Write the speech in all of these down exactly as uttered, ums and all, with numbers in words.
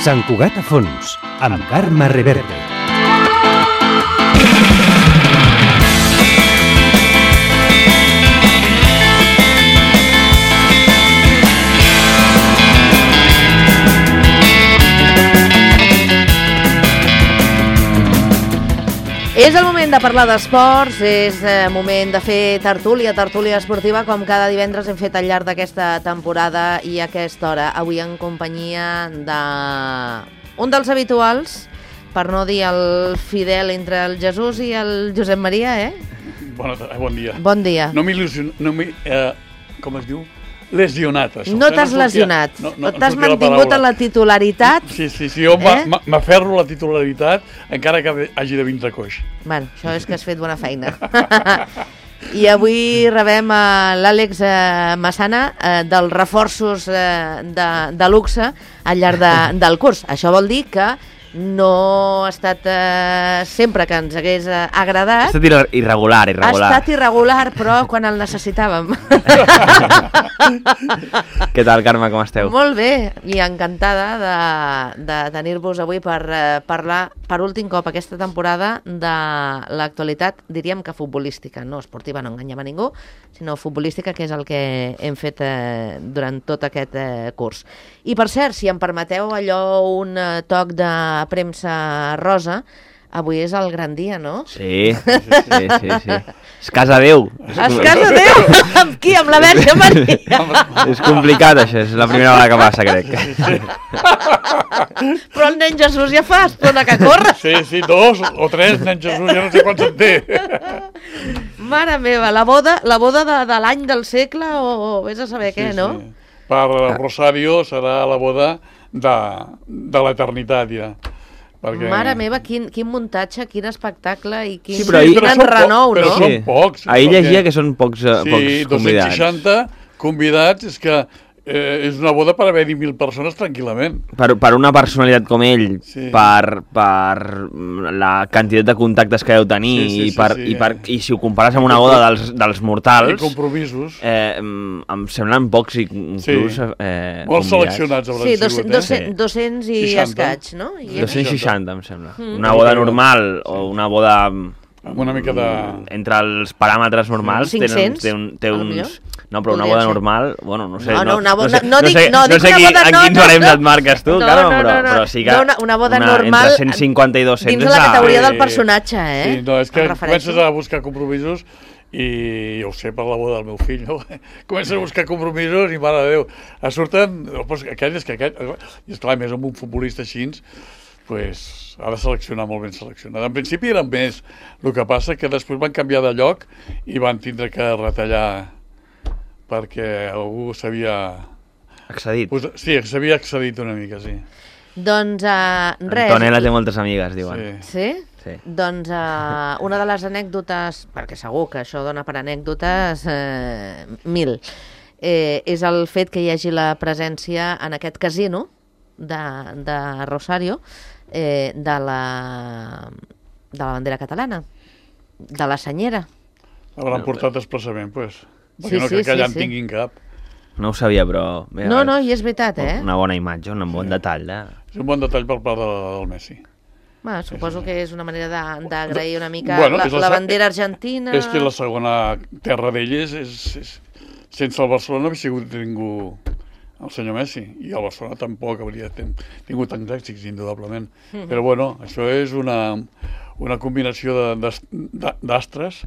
Sant Cugat a fons, amb Carme Reverte. És el moment de parlar d'esports, és el moment de fer tertúlia, tertúlia esportiva, com cada divendres hem fet al llarg d'aquesta temporada i a aquesta hora. Avui en companyia de un dels habituals, per no dir el fidel entre el Jesús i el Josep Maria, eh? Bona, bon dia. Bon dia. No m'il·lusiono, no m'hi... Eh, com es diu? Lesionat, això. No t'has lesionat, no, no, t'has mantingut en la titularitat. Sí, sí, sí, jo eh? m'aferro a la titularitat encara que hagi de vindre coix. Bueno, això és que has fet bona feina. I avui rebem a l'Àlex Massana eh, dels reforços eh, de, de luxe al llarg de, del curs. Això vol dir que no ha estat eh, sempre que ens hagués eh, agradat. Ha estat irregular, irregular. Ha estat irregular, però quan el necessitàvem. Què tal, Carme, com esteu? Molt bé, i encantada de, de tenir-vos avui per eh, parlar per últim cop aquesta temporada de l'actualitat, diríem que futbolística, no esportiva, no enganyem a ningú, sinó futbolística, que és el que hem fet eh, durant tot aquest eh, curs. I per cert, si em permeteu allò un eh, toc de premsa rosa, avui és el gran dia, no? Sí, sí, sí, sí, sí. És casa Déu. És casa Déu? Amb qui? Amb la Verge Maria? És complicat, això, és la primera vegada que passa, crec. Sí, sí. Però el nen Jesús ja fa estona que corre. Sí, sí, dos o tres nens Jesús, ja no sé quants en té. Mare meva, la boda, la boda de, de l'any del segle o, o vés a saber sí, què, no? Sí. Per Rosario serà la boda de, de l'eternitat, ja. Perquè... Mare meva, quin, quin muntatge, quin espectacle i quin, sí, però ahir... quin enrenou, però no? Però són pocs. Ahir perquè... llegia que són pocs, uh, sí, pocs convidats. Sí, dos-cents seixanta convidats, és que eh, és una boda per haver-hi mil persones tranquil·lament. Per, per una personalitat com ell, sí. per, per la quantitat de contactes que deu tenir sí, sí, i, per, sí, sí, i, per, i si ho compares amb una boda dels, dels mortals... I compromisos. Eh, em semblen pocs i inclús sí. eh, molts seleccionats hauran sí, sigut. Sí, doscents i escaig, no? I dos-cents seixanta, em sembla. Mm. Una boda normal sí. o una boda... amb una mica de... Entre els paràmetres normals cinc-cents, té, un, té uns... No, però una boda ser. normal, bueno, no sé... No, no, una boda... No sé, no, dic, no, no dic sé una qui, boda... en No, quins no, barems no, et marques tu, no, Carme, no, no, però, no, però sí que... no, una, una boda una, normal... Entre cent cinquanta i dos-cents... Dins de la categoria del personatge, eh? Sí, no, és que comences a buscar compromisos i jo ho sé per la boda del meu fill, no? Comences a buscar compromisos i, mare de Déu, surten... Aquell és que aquell... I esclar, més amb un futbolista així, pues, ha de seleccionar molt ben seleccionat. En principi eren més, el que passa que després van canviar de lloc i van tindre que retallar perquè algú s'havia... Accedit. Pues, sí, s'havia accedit una mica, sí. Doncs uh, res... Antonella té moltes amigues, diuen. Sí? Sí? Sí. Doncs uh, una de les anècdotes, perquè segur que això dona per anècdotes eh, mil, eh, és el fet que hi hagi la presència en aquest casino de, de Rosario eh, de, la, de la bandera catalana, de la senyera. L'hauran portat expressament, doncs. Perquè sí, no sí, crec que allà sí, en tinguin cap. No ho sabia, però... Mira, no, no, i és veritat, eh? Una bona imatge, un bon sí. detall. Eh? És un bon detall per part de, del Messi. Bueno, suposo que és una manera d'agrair una mica bueno, la, la, la bandera argentina... És que la segona terra d'elles és, és... Sense el Barcelona no havia sigut ningú el senyor Messi, i el Barcelona tampoc hauria tingut tants èxits, indudablement. Mm-hmm. Però bueno, això és una, una combinació d'astres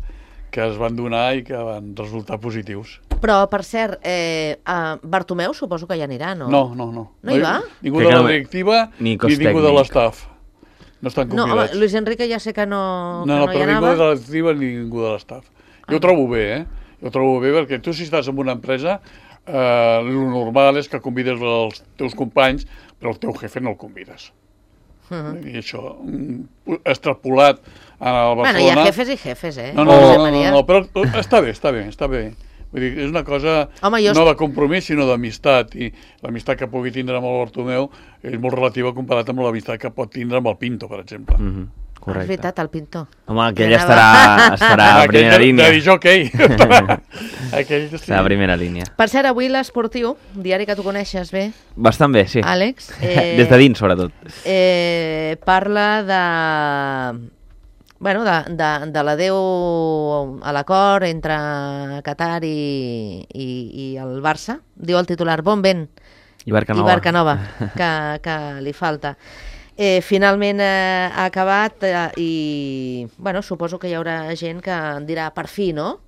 que es van donar i que van resultar positius. Però, per cert, eh, uh, Bartomeu suposo que ja anirà, no? No, no, no. No hi va? Ningú de la directiva ni, ni ningú de l'estaf. No estan convidats. No, home, Luis Enrique ja sé que no, no, no, que no hi anava. No, però ningú de la directiva ni ningú de l'estaf. Jo ah. ho trobo bé, eh? Jo ho trobo bé perquè tu, si estàs en una empresa, eh, el normal és que convides els teus companys, però el teu jefe no el convides. Uh-huh. I això, extrapolat al Barcelona... Bueno, hi ha jefes i jefes, eh? No, no, no, no, no, no, però està bé, està bé, està bé. Vull dir, és una cosa Home, jo... no de compromís, sinó d'amistat, i l'amistat que pugui tindre amb el Bartomeu és molt relativa comparat amb l'amistat que pot tindre amb el Pinto, per exemple. Mm-hmm. Correcte. És veritat, el pintor. Home, aquell Anava- estarà, estarà a Aquell primera de- línia. De disjockey. Aquell sí. Estarà a primera línia. Per cert, avui l'Esportiu, diari que tu coneixes bé, Bastant bé, sí. Àlex, eh, Des de dins, sobretot. eh, parla de... Bueno, de, de, de l'adeu a l'acord entre Qatar i, i, i el Barça. Diu el titular, bon vent. I Barcanova. I Barcanova, que, que li falta. Eh, finalment eh, ha acabat eh, i bueno, suposo que hi haurà gent que dirà per fi, no?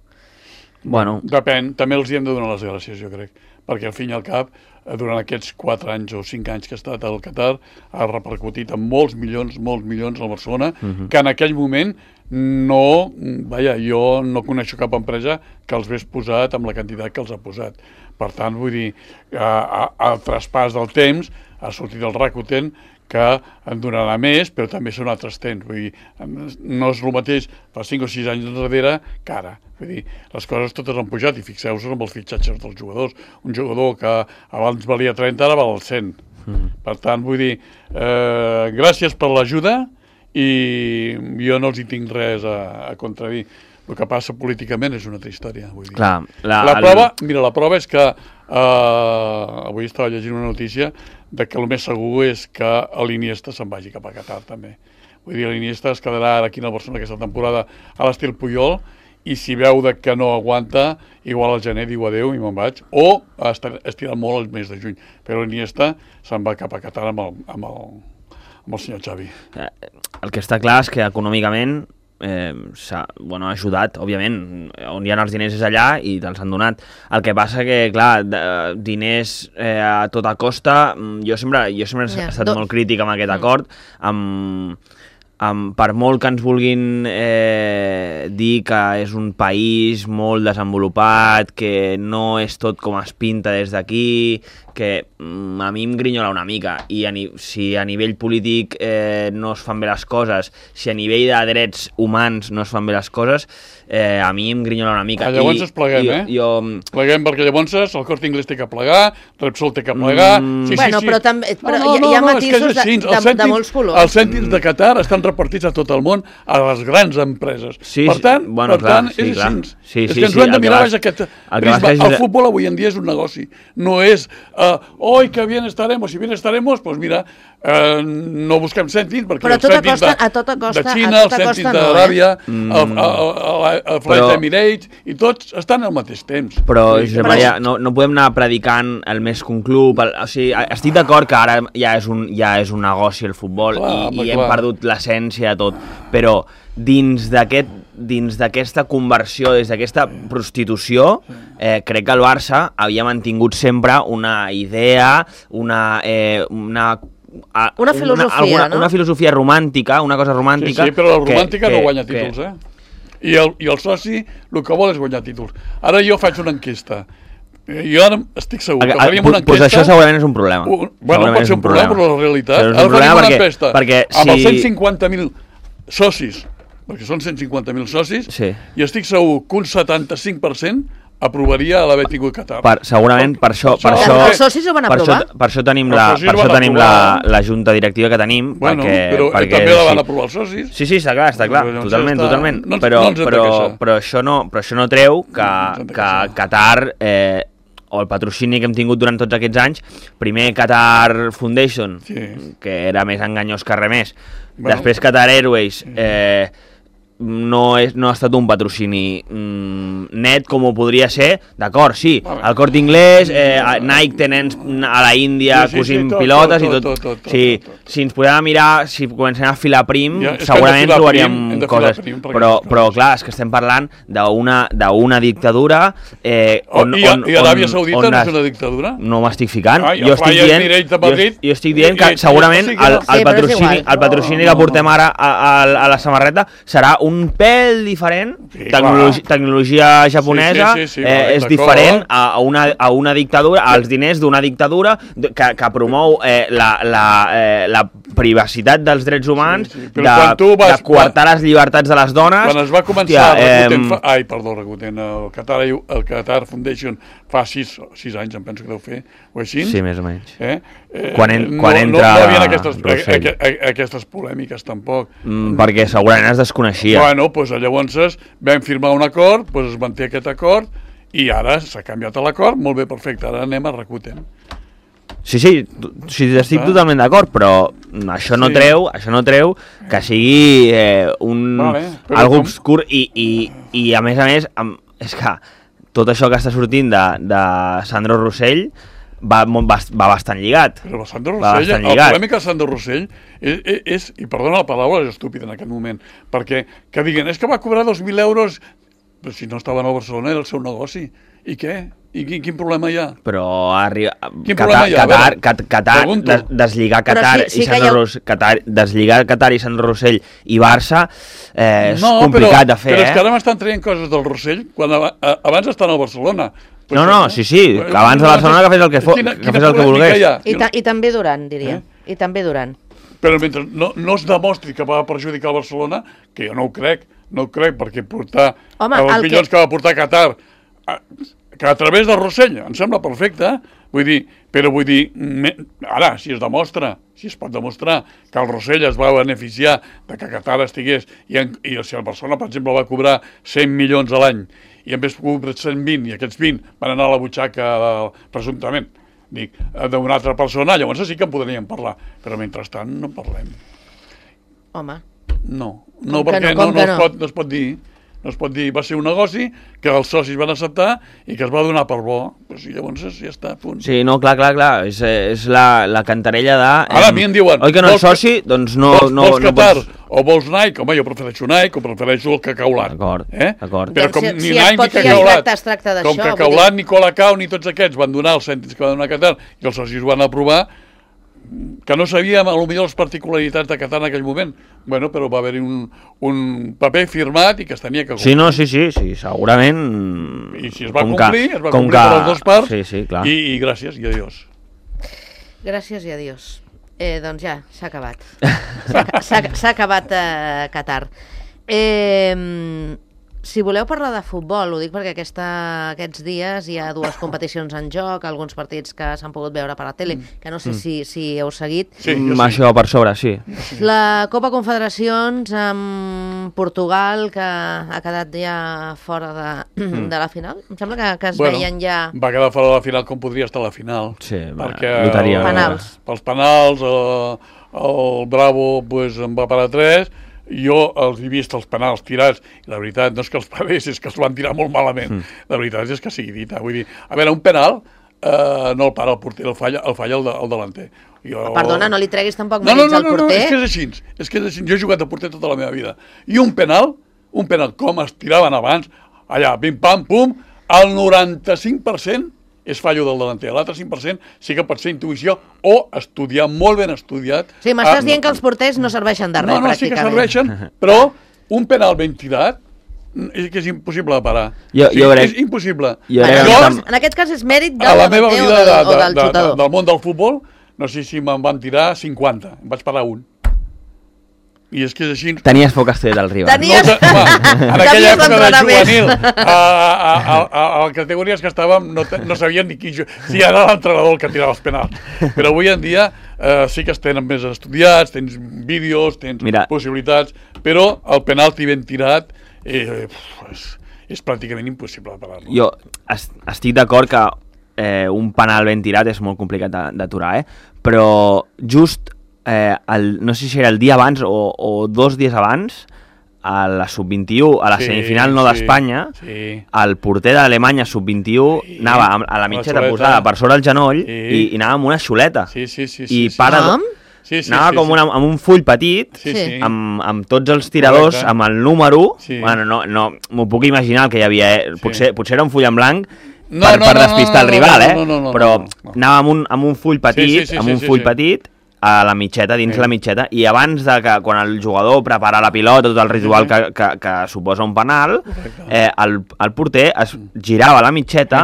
Bueno, Depèn, també els hi hem de donar les gràcies, jo crec, perquè al fin i al cap, eh, durant aquests quatre anys o cinc anys que ha estat al Qatar, ha repercutit en molts milions, molts milions al Barcelona, Mhm. que en aquell moment no, vaja, jo no coneixo cap empresa que els hagués posat amb la quantitat que els ha posat. Per tant, vull dir, a, a, al traspàs del temps ha sortit el Rakuten, que en donarà més, però també són altres temps. Vull dir, no és el mateix fa cinc o sis anys enrere que ara. Vull dir, les coses totes han pujat i fixeu-vos amb els fitxatges dels jugadors. Un jugador que abans valia trenta, ara val cent. Mm. Per tant, vull dir, eh, gràcies per l'ajuda i jo no els hi tinc res a, a contradir. El que passa políticament és una altra història. Vull dir. clar. La, La el- prova, mira, la prova és que eh, avui estava llegint una notícia de que el més segur és que l'Iniesta se'n vagi cap a Qatar també. Vull dir, l'Iniesta es quedarà ara aquí a Barcelona aquesta temporada a l'estil Puyol i si veu de que no aguanta, igual al gener diu adeu i me'n vaig, o estira molt el mes de juny. Però l'Iniesta se'n va cap a Qatar amb el, amb el, amb el senyor Xavi. Eh, El que està clar és que econòmicament eh, s'ha bueno, ha ajudat, òbviament, on hi ha els diners és allà i te'ls han donat. El que passa que, clar, de, diners eh, a tota costa, mm, jo sempre, jo sempre he Ja, estat do- molt crític amb aquest Mm. acord, amb, amb, per molt que ens vulguin eh, dir que és un país molt desenvolupat, que no és tot com es pinta des d'aquí, que mm, a mi em grinyola una mica, i a ni si a nivell polític eh, no es fan bé les coses, si a nivell de drets humans no es fan bé les coses, eh, a mi em grinyola una mica. Ah, llavors I, es pleguem, i, eh? Jo, Pleguem perquè llavors el Corte Inglés té que plegar, Repsol té que plegar... Mm. Sí, Bueno, sí, sí. però també- però no, no, hi ha- hi ha no, no, és que és matisos de- així. de- Els de cèntims- molts colors. Els cèntims de Qatar estan repartits a tot el món, a les grans empreses. Sí, per tant, bueno, per clar, tant sí, és clar. així. Sí, és sí, que ens sí, ho hem el de que mirar, vas- és aquest... el que vas prisma. és- El futbol avui en dia és un negoci. No és, uh, oi, que bien estaremos, si bien estaremos, doncs mira, uh, no busquem cèntims, perquè Però a els tota cèntims costa- de, a tota costa- de a Xina, tota els costa cèntims no, eh? d'Aràbia, Mm. el, el, el, el Flight Però- Emirates, i tots estan al mateix temps. Però, Vull dir, Josep Però Maria, no, no podem anar predicant el més que un club. El, o sigui, estic d'acord que ara ja és un, ja és un negoci el futbol Clar, i, home, i hem clar. perdut l'essència de tot, però dins d'aquest dins d'aquesta conversió, des d'aquesta prostitució, eh, crec que el Barça havia mantingut sempre una idea, una... Eh, una a, Una filosofia, alguna, no? Una filosofia romàntica, una cosa Sí, romàntica... sí, però la que- romàntica que, no guanya que, títols, eh? I el, I el soci el que vol és guanyar títols. Ara jo faig una enquesta. Eh, Jo ara estic segur que faríem una Doncs enquesta... això segurament és un problema. Un, bueno, Segurament pot és ser un problema, però la realitat... Però és un Ara problema faríem una perquè, enquesta perquè amb els si... cent cinquanta mil socis, perquè són cent cinquanta mil socis, Sí. i estic segur que un setanta-cinc per cent aprovaria l'haver tingut Qatar. Per, segurament per això, per Per això, això- Els socis ho van per això, aprovar? per això tenim, Els la, socis per ho això van tenim la, aprovar. la junta directiva que tenim. Bueno, perquè, però perquè també la van sí. aprovar els socis. Sí, sí, està clar, està clar, Llavors totalment, està- totalment. no ens- però, no ens hem de però, queixar. però, això no, però això no treu que, ens hem de que queixar. Qatar, eh, o el patrocini que hem tingut durant tots aquests anys, primer Qatar Foundation, Sí. que era més enganyós que res més, Bueno. després Qatar Airways, eh, no, és, no ha estat un patrocini mm, net com ho podria ser, d'acord, sí, Vale. el Corte Inglés, eh, a Nike tenen a la Índia Sí, sí, sí, cosint tot, pilotes tot, i tot. tot, tot, tot, sí, tot, tot. si ens podem mirar, si comencem a filar prim, Ja, és que hem de segurament filar trobaríem prim, hem de filar coses, prim perquè però, aquestes però coses. clar, és que estem parlant d'una d'una dictadura eh, on, I, on, I Aràbia on- Saudita on no és es- una dictadura? no m'estic ficant, Ai, jo el estic Flyers dient, Emirates de jo, Madrid, jo estic dient i- que i- segurament o sigui que el, no- Sí, el però és patrocini, igual. el patrocini No, no, que portem no. ara a, a, a la samarreta serà un pèl diferent, Sí, tecnologi, clar. tecnologia japonesa, Sí, sí, sí, sí, eh, vale, és d'acord. diferent a, a, una, a una dictadura, als diners d'una dictadura que, que promou eh, la, la, eh, la privacitat dels drets humans, sí, sí. de, vas, de coartar quan, les llibertats de les dones... Quan es va començar hòstia, el Rakuten... Eh, fa, ai, perdó, Rakuten, el Qatar, el Qatar Foundation fa sis, sis anys, em penso que deu fer, o així? Sí, més o menys. Eh? Eh, quan, en, quan no, entra no, no hi havia aquestes, a, a, a, aquestes polèmiques, tampoc. Mm, perquè segurament es desconeixia. Bueno, doncs llavors vam firmar un acord, doncs es manté aquest acord, i ara s'ha canviat l'acord, molt bé, perfecte, ara anem a Rakuten. Sí, sí, sí estic ah. totalment d'acord, però això no, sí. treu, això no treu que sigui eh, un vale, algo com... obscur i, i, i a més a més amb, és que tot això que està sortint de, de Sandro Rossell va, va, va bastant lligat. Però Sandro Rossell, el problema que Sandro Rossell és, és, és, i perdona la paraula, és estúpid en aquest moment, perquè que diguen, és que va cobrar dos mil euros, però si no estava a Barcelona era el seu negoci, i què? I quin, quin problema hi ha? Però arriba... Quin Qatar, problema hi ha? Qatar, Qatar, Qatar des, deslligar Qatar, sí, sí i Sandro ha... Ros, Qatar, deslligar Qatar i Sandro Rossell i Barça eh, és no, complicat però, de fer, però eh? és que ara m'estan traient coses del Rossell quan a, a, abans estan a Barcelona. Pues no, no, sí, sí, que abans de Barcelona que fes el que, fo, quina, que, fes el que volgués. I, ta, I també Duran, diria. Eh? I també Duran. Però mentre no, no es demostri que va perjudicar el Barcelona, que jo no ho crec, no ho crec, perquè portar Home, els milions que... que va portar Qatar... A, que a través del Rossell, em sembla perfecte, vull dir, però vull dir, me, ara, si es demostra, si es pot demostrar que el Rossell es va beneficiar de que Qatar estigués, i, en, i si el Barcelona, per exemple, va cobrar cent milions a l'any, i en vez de cobrar cent vint, i aquests vint van anar a la butxaca, del, presumptament, dic, d'una altra persona, llavors sí que en podríem parlar, però mentrestant no en parlem. Home. No, no perquè no, no, no, es pot, no es pot dir... No es pot dir, va ser un negoci que els socis van acceptar i que es va donar per bo. Pues, i llavors ja està, punt. Sí, no, clar, clar, clar. És, és la, la cantarella de... Ara a mi em diuen... Oi que no ets soci? Doncs no... Vols, no, vols no Qatar pots... o vols Nike? Home, jo prefereixo Nike o prefereixo el cacaulat. D'acord, eh? d'acord. Però com si, ni si Nike ni cacaulat, es tracta com cacaulat, ni Colacao, ni tots aquests van donar els cèntims que van donar a Qatar i els socis van aprovar, que no sabíem potser les particularitats de Qatar en aquell moment, bueno, però va haver-hi un, un paper firmat i que es tenia que complir. Sí, no, sí, sí, sí, segurament... I si es va complir, que, es va complir que... per les dues parts, sí, sí, clar. I, i gràcies i adiós. Gràcies i adiós. Eh, doncs ja, s'ha acabat. S'ha acabat eh, Qatar. Eh... Si voleu parlar de futbol, ho dic perquè aquesta, aquests dies hi ha dues competicions en joc, alguns partits que s'han pogut veure per la tele, que no sé mm. si, si heu seguit. Sí, mm, això per sobre, sí. La Copa Confederacions amb Portugal, que ha quedat ja fora de, mm. de la final. Em sembla que, que es bueno, veien ja... Va quedar fora de la final com podria estar a la final. Sí, perquè loteria. Penals. Pels penals, el, el Bravo pues, en va parar tres. Jo els he vist els penals tirats i la veritat no és que els pagués, és que els van tirar molt malament. Mm. La veritat és que sigui dita. Vull dir, a veure, un penal eh, no el para el porter, el falla el, falla el, de, el delanter. Jo... Perdona, no li treguis tampoc no, no, mèrits no, al no, porter? No, és que és així, és que és així. Jo he jugat a porter tota la meva vida. I un penal, un penal com es tiraven abans, allà, pim, pam, pum, el noranta-cinc per cent és fallo del delanter. L'altre cinc per cent sí que pot ser intuïció o estudiar, molt ben estudiat. Sí, m'estàs ah, dient no, que els porters no serveixen de res, no, no, pràcticament. No, sí que serveixen, però un penal ben tirat és que és impossible de parar. Jo, sí, jo crec... És impossible. Jo bueno, jo, tam... en aquest cas és mèrit del delanter o, de, de, o del de, xutador. De, del món del futbol, no sé si me'n van tirar cinquanta, em vaig parar un. I és que és així... Tenies poc estudi del rival. Tenies... No, home, en aquella època de juvenil, a, a, a, a, a les categories que estàvem, no, no sabien ni qui... Si era l'entrenador el que tirava els penals. Però avui en dia eh, sí que es tenen més estudiats, tens vídeos, tens Mira. possibilitats, però el penalti ben tirat eh, és, és pràcticament impossible de parar-lo. Jo est estic d'acord que eh, un penal ben tirat és molt complicat d'aturar, eh? Però just... Eh, el, no sé si era el dia abans o, o dos dies abans a la sub vint-i-u, a la sí, semifinal no sí, d'Espanya, sí. El porter d'Alemanya sub vint-i-u sí, anava a, a la mitjeta posada per sobre el genoll sí. i, i anava amb una xuleta sí, sí, sí, i sí, para, sí. Sí, sí, anava sí, com sí. Una, amb un full petit sí, sí. Amb, amb tots els tiradors, correcte. Amb el número sí. Bueno, no, no, m'ho puc imaginar el que hi havia, eh? potser, sí. potser era un full en blanc no, per, no, per despistar no, no, el rival, eh? no, no, no, no, però no, no. anava amb un, amb un full petit, sí, sí, sí, amb un full sí, sí. petit a la mitjeta, dins sí. la mitjeta, i abans de que, quan el jugador prepara la pilota, tot el ritual que, que, que suposa un penal, eh, el, el porter es girava a la mitjeta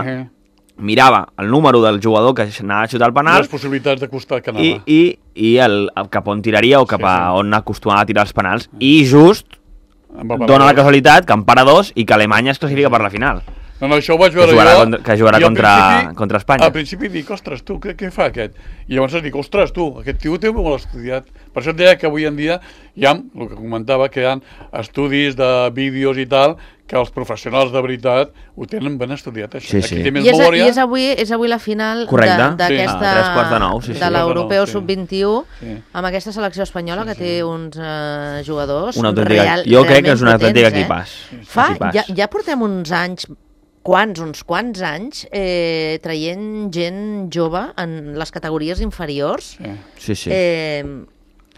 mirava el número del jugador que anava a xutar el penal les possibilitats de costat que i, anava. i, i el, el cap on tiraria o cap Sí, a sí. on acostumava a tirar els penals. I just Em va parar dona la dos. casualitat que en para dos i que Alemanya es classifica per la final. No, no, això ho vaig veure Que jugarà jo. contra- que jugarà i al contra- principi- contra Espanya. Al principi dic, ostres, tu, què, què fa aquest? I llavors dic, ostres, tu, aquest tio té molt estudiat. Per això et deia que avui en dia hi ha, el que comentava, que hi ha estudis de vídeos i tal, que els professionals de veritat ho tenen ben estudiat, això. Sí, sí. Aquí té més I és, memòria. I és, avui, és avui la final Correcte. de- Sí. d'aquesta... Ah, tres quarts de nou, sí, sí. de l'Europeu Sí. sub vint-i-u, Sí. amb aquesta selecció espanyola que té uns eh, jugadors Una autèntica, real, jo crec que és un realment autèntic potents, equipàs. Eh? Fa, Equipàs. ja, ja portem uns anys, quants, uns quants anys, eh, traient gent jove en les categories inferiors. Sí. Sí, sí. Eh,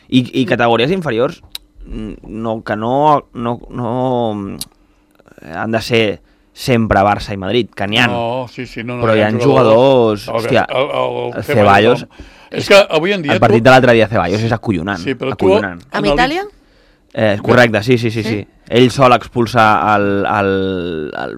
I, I categories inferiors no, que no, no, no han de ser sempre Barça i Madrid, que n'hi ha. No, sí, sí, no, no, Però hi ha jugadors... El- Hòstia, el, el, el Ceballos... És que avui en dia... El partit de l'altre dia Ceballos és acollonant. Sí, però tu- acollonant. amb Analitza- Itàlia? Eh, correcte, sí, sí, sí, sí. Ell sol expulsa el, el, el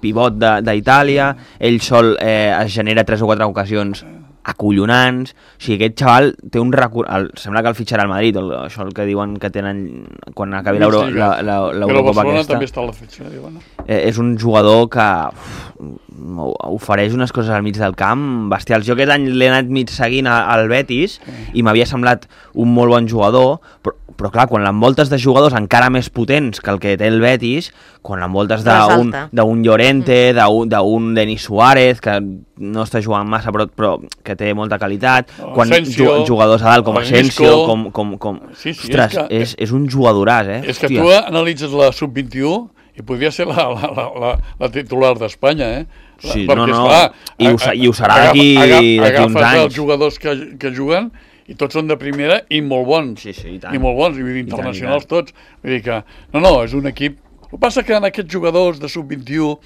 pivot de- d'Itàlia, ell sol eh, es genera tres o quatre ocasions acollonants. O sigui, aquest xaval té un recurs... El, sembla que el fitxarà al Madrid, el, això el que diuen que tenen quan acabi l'Euro- Sí, la- la- Però l'Eurocopa Barcelona aquesta. també està a la fitxa, diuen. Eh, és un jugador que uf, ofereix unes coses al mig del camp bestials. Jo aquest any l'he anat mig seguint a- al Betis i m'havia semblat un molt bon jugador, però, però clar, quan l'envoltes de jugadors encara més potents que el que té el Betis, quan l'envoltes d'un Resalta. d'un Llorente, d'un d'un Denis Suárez, que no està jugant massa però, però que té molta qualitat, quan Asensio, ju- jugadors a dalt com el Asensio, Isco. com, com, com... Sí, sí, Ostres, és que- és, és un jugadoràs, eh? És que Hòstia. tu analitzes la sub vint-i-u i podria ser la, la, la, la, la titular d'Espanya, eh? La, Sí, perquè, no, no, esclar, i ho se- i ho serà agafa- d'aquí- agafa- d'aquí uns agafes anys. els jugadors que, que juguen i tots són de primera i molt bons. Sí, sí, i tant. I molt bons, i, vull dir, I tant, internacionals i tant. tots. Vull dir que, no, no, és un equip... El que passa que en aquests jugadors de sub vint-i-u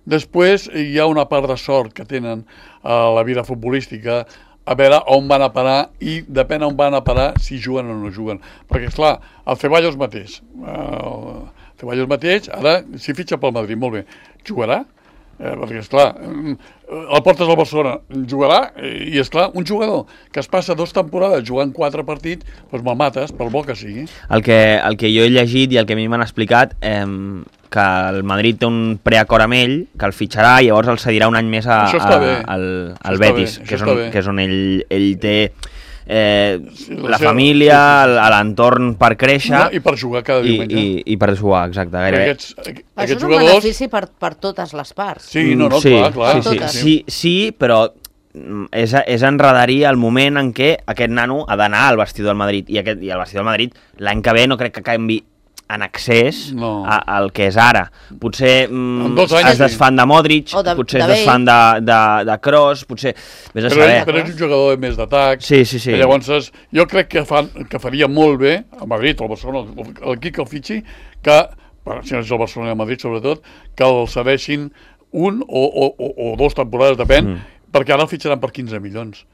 després hi ha una part de sort que tenen a la vida futbolística, a veure on van a parar i depèn on van a parar si juguen o no juguen. Perquè, esclar, el Ceballos mateix, el Ceballos mateix, ara si fitxa pel Madrid, molt bé, jugarà? Eh, perquè, esclar, el portes al Barcelona, jugarà? I, esclar, un jugador que es passa dues temporades jugant quatre partits, doncs me'l mates, pel bo que sigui. El que, el que jo he llegit i el que a mi m'han explicat, eh, que el Madrid té un preacord amb ell, que el fitxarà i llavors el cedirà un any més a, Això està a, bé. al, Això al està Betis, bé, que això és, on, està bé. que és on ell, ell té eh, Sí, la la seva- família, sí, sí, sí. a l'entorn per créixer No? I per jugar cada i, diumenge. i, i per jugar, exacte, Perquè gairebé. Aquests, aqu- Això aquests és un jugadors... benefici per, per totes les parts. Sí, no, no, sí, clar, clar. Sí, sí, Totes. sí, sí, però mm, és, és enredarir el moment en què aquest nano ha d'anar al vestidor del Madrid i, aquest, i el vestidor del Madrid l'any que ve no crec que canvi en accés No. a, al que és ara. Potser mm, En dos anys, es desfan de Modric, O de- potser de es desfan de, de, de Kroos, potser... Vés a Però, saber. però és un jugador més d'atac. Sí, sí, sí. I llavors, jo crec que, fan, que faria molt bé, a Madrid, al Barcelona, l'equip que el fitxi, que, bueno, si no és el Barcelona i el Madrid sobretot, que el cedeixin un o, o, o, o dos temporades, depèn, mm. perquè ara el fitxaran per quinze milions.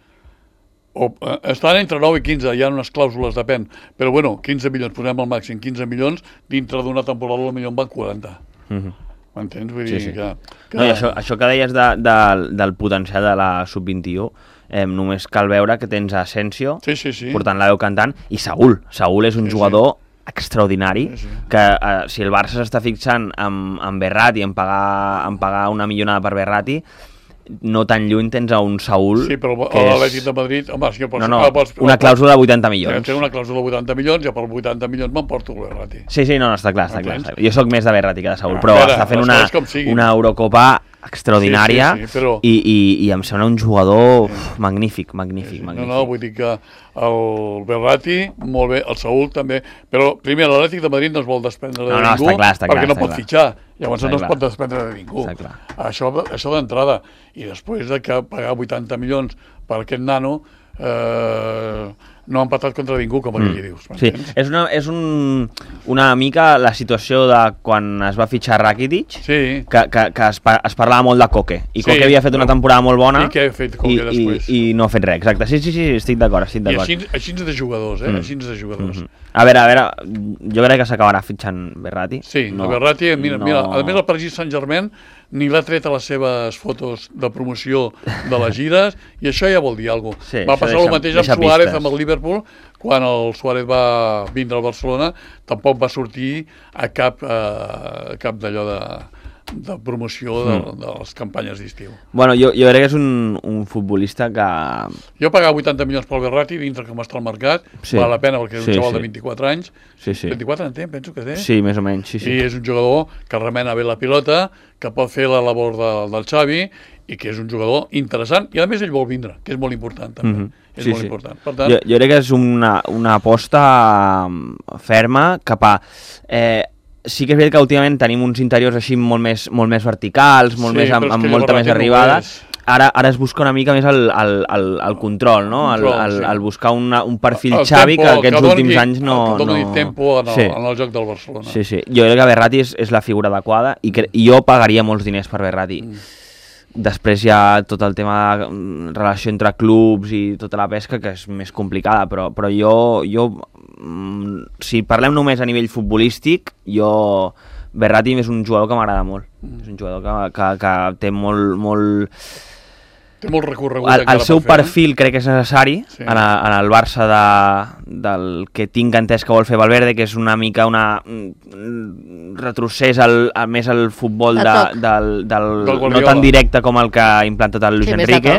O, eh, estan entre nou i quinze, hi ha unes clàusules, depèn. Però bueno, quinze milions, posem al màxim quinze milions, dintre d'una temporada potser en van quaranta. Mhm. M'entens? Vull Sí, dir sí. que... que... No, i això, això que deies de, de, del potencial de la sub vint-i-u, eh, només cal veure que tens Asensio Sí, sí, sí. portant la veu cantant i Saúl. Saúl és un Sí, jugador extraordinari, Sí, sí. que eh, si el Barça s'està fixant en, en Berratti, en pagar, en pagar una millonada per Berratti, no tan lluny tens a un Saúl Sí, però que l'Atlètic és... de Madrid... Home, si jo pots, No, no, ah, pots, una clàusula de vuitanta milions. Té una clàusula de vuitanta milions, ja per vuitanta milions m'emporto el Berratti. Sí, sí, no, no, està clar, està clar. Entens? Jo sóc més de Berratti que de Saúl, A però veure, està fent les una, coses com siguin. una Eurocopa extraordinària Sí, sí, sí, però- i, i, i em sembla un jugador uf, magnífic, magnífic, No, magnífic. no, vull dir que el Berratti, molt bé, el Saúl també, però primer l'Atlètic de Madrid no es vol desprendre de No, no, ningú està clar, està clar, perquè no està pot clar. fitxar, llavors Està no es clar. pot desprendre de ningú. Està clar. Això, això d'entrada. I després de que pagar vuitanta milions per aquest nano, eh, no ha empatat contra ningú, com aquí mm. dius. Sí, és, una, és un, una mica la situació de quan es va fitxar Rakitic, sí. que, que, que es, es parlava molt de Koke, i Koke sí, havia fet una temporada molt bona, i, què ha fet Koke i, després? I, i no ha fet res, exacte. Sí, sí, sí, estic d'acord, estic d'acord. I així, així de jugadors, eh? Mm. Així de jugadors. Mm -hmm. A veure, a veure, jo crec que s'acabarà fitxant Verratti. Sí, no, Verratti, mira, no... mira, a més el Paris Saint-Germain ni l'ha tret a les seves fotos de promoció de les gires, i això ja vol dir alguna cosa. Sí, va passar deixa, el mateix amb Suárez, pistes. Amb el Liverpool, quan el Suárez va vindre al Barcelona, tampoc va sortir a cap, eh, cap d'allò de... de promoció de, mm. de les campanyes d'estiu. Bueno, jo, jo crec que és un, un futbolista que... Jo pagava vuitanta milions pel Verratti, dintre com està el mercat, sí. val la pena perquè és un sí, xaval sí. de vint-i-quatre anys, sí, sí. vint-i-quatre en té, penso que té. Sí, més o menys, sí, sí. I és un jugador que remena bé la pilota, que pot fer la labor de, del Xavi, i que és un jugador interessant, i a més ell vol vindre, que és molt important també. Mm -hmm. És sí, molt sí. important. Per tant... jo, jo crec que és una, una aposta ferma cap a... Eh, sí que és veritat que últimament tenim uns interiors així molt més, molt més verticals, molt sí, més amb, amb molta més arribada. No ara, ara es busca una mica més el, el, el, el control, no? El, control, el, el, sí. el buscar una, un perfil el Xavi tempo, que aquests que últims anys no... Que doni no... tempo en el, sí. en el joc del Barcelona. Sí, sí. Jo crec que Verratti és, és la figura adequada i, que, i jo pagaria molts diners per Verratti. Mm. Després hi ha tot el tema de relació entre clubs i tota la pesca, que és més complicada, però, però jo... jo si parlem només a nivell futbolístic, jo Verratti és un jugador que m'agrada molt. Mm. És un jugador que, que, que té molt... molt... Té molt recorregut. El, el seu per perfil eh? crec que és necessari sí. en, a, en el Barça de, del que tinc entès que vol fer Valverde, que és una mica una retrocés al, a més al futbol de, del, del, del no tan directe com el que ha implantat el Luis sí, Enrique.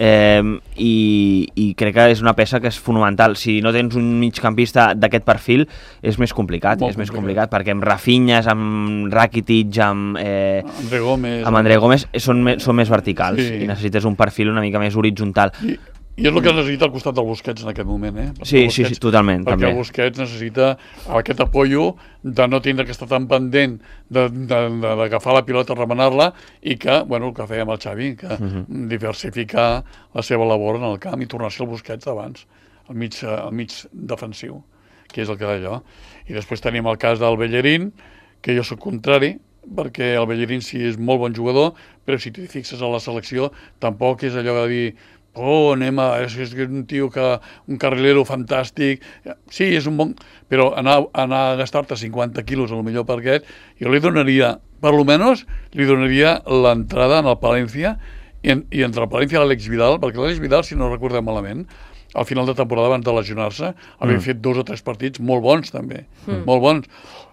Eh, i, i crec que és una peça que és fonamental. Si no tens un migcampista d'aquest perfil és més complicat, Molt és complicat. més complicat perquè amb Rafinha, amb Rakitic, amb eh, André Gómez, amb André Gómez són, me, són més verticals sí. i necessites un perfil una mica més horitzontal. I, i és el que necessita al costat del Busquets en aquest moment, eh? Perquè sí, Busquets, sí, sí, totalment. Perquè també. el Busquets necessita aquest apoyo de no tindre que estar tan pendent d'agafar la pilota, remenar-la, i que, bueno, el que feia amb el Xavi, que uh -huh. diversificar la seva labor en el camp i tornar-se al Busquets d'abans, al mig, al mig defensiu, que és el que d'allò. I després tenim el cas del Bellerín, que jo soc contrari, perquè el Bellerín sí és molt bon jugador, però si t'hi fixes a la selecció, tampoc és allò de dir oh, anem a... És, és un tio que... un carrilero fantàstic... Sí, és un bon... Però anar, anar a gastar-te cinquanta quilos, a lo millor per aquest, jo li donaria, per lo menos, li donaria l'entrada en el Palència, i, en, i entre el Palència i l'Àlex Vidal, perquè l'Àlex Vidal, si no recordem malament, al final de temporada, abans de lesionar-se, havia mm. fet dos o tres partits molt bons, també. Mm. Molt bons.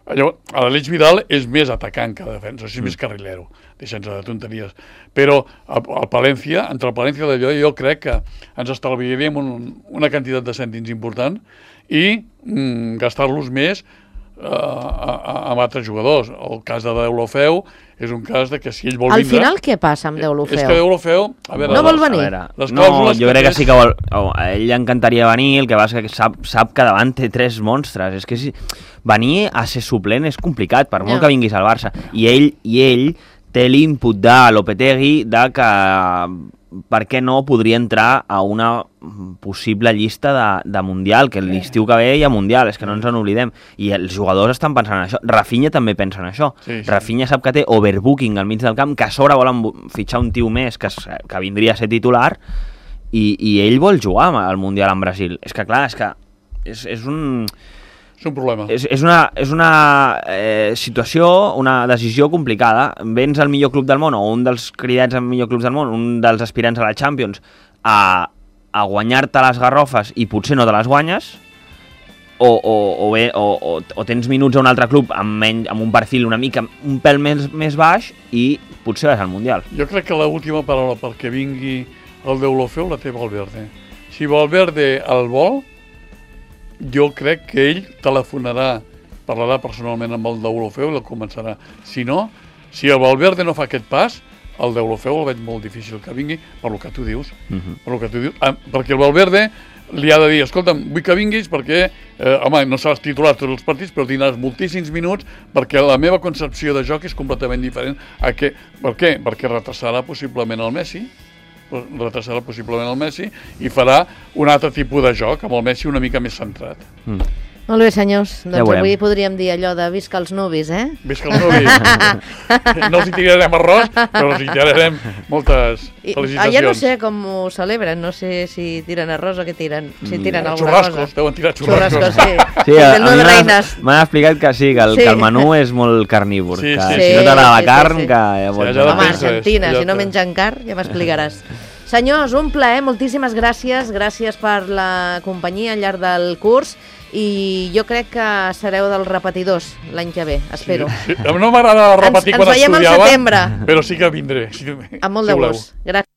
L'Àlex Vidal és més atacant que defensa, és mm. més carrilero, deixant-se de tonteries. Però el, el Palència, entre el Palència i d'allò, jo crec que ens estalviaríem un, una quantitat de cèntims important i mm, gastar-los més uh, a, a, amb altres jugadors. El cas de Deulofeu és un cas de que si ell vol Al vindre... Al final què passa amb Deulofeu? És que Deulofeu... A veure, no vol venir? Veure, les no, jo crec que, que sí que vol... Oh, a ell encantaria venir, el que passa que sap, sap que davant té tres monstres. És que si... venir a ser suplent és complicat, per molt no. que vinguis al Barça. I ell, i ell té l'input de Lopetegui de que per què no podria entrar a una possible llista de, de Mundial, que l'estiu que ve hi ha Mundial, és que no ens en oblidem. I els jugadors estan pensant en això. Rafinha també pensa en això. Sí, sí. Rafinha sap que té overbooking al mig del camp, que a sobre volen fitxar un tio més que, que vindria a ser titular, i, i ell vol jugar al Mundial en Brasil. És que clar, és que és, és un... És un problema. És, és una, és una eh, situació, una decisió complicada. Vens al millor club del món, o un dels cridats al millor club del món, un dels aspirants a la Champions, a, a guanyar-te les garrofes i potser no te les guanyes, o, o, o, bé, o, o, o tens minuts a un altre club amb, menys, amb un perfil una mica, un pèl més, més baix, i potser vas al Mundial. Jo crec que l'última paraula perquè vingui el Deulofeu la té Valverde. Si Valverde el vol, jo crec que ell telefonarà, parlarà personalment amb el Deulofeu i el començarà. Si no, si el Valverde no fa aquest pas, el Deulofeu el veig molt difícil que vingui, per lo que tu dius. Uh-huh. Per lo que tu dius. Ah, perquè el Valverde li ha de dir, escolta'm, vull que vinguis perquè, eh, home, no seràs titular tots els partits, però tindràs moltíssims minuts perquè la meva concepció de joc és completament diferent. A què? Per què? Perquè retrasarà possiblement el Messi, retrasarà possiblement el Messi i farà un altre tipus de joc, amb el Messi una mica més centrat. Mm. Molt bé, senyors. Ja Doncs veurem. avui podríem dir allò de visca els nuvis, eh? Visca els nuvis. No els hi tirarem arròs, però els hi tirarem moltes I, felicitacions. allà no sé com ho celebren, no sé si tiren arròs o què tiren. Si tiren alguna Xurrascos, cosa. deuen tirar xurrascos. Xurrascos, sí. Sí, a, Del a Nueve mi m'han- Reines. m'han explicat que sí, que el, Sí. que el menú és molt carnívor, Sí, que sí, si sí. no t'agrada Sí, la sí, carn, sí. que ja Sí, pots allà Home, depèn. anar. Argentina, Ja si no està. mengen carn, ja m'explicaràs. Senyors, un plaer, moltíssimes gràcies. Gràcies per la companyia al llarg del curs i jo crec que sereu dels repetidors l'any que ve, espero. Sí, sí. No m'agrada repetir Ens- ens quan veiem al estudiava, setembre. però sí que vindré. Si, Amb molt si de voleu. gust. Gràcies.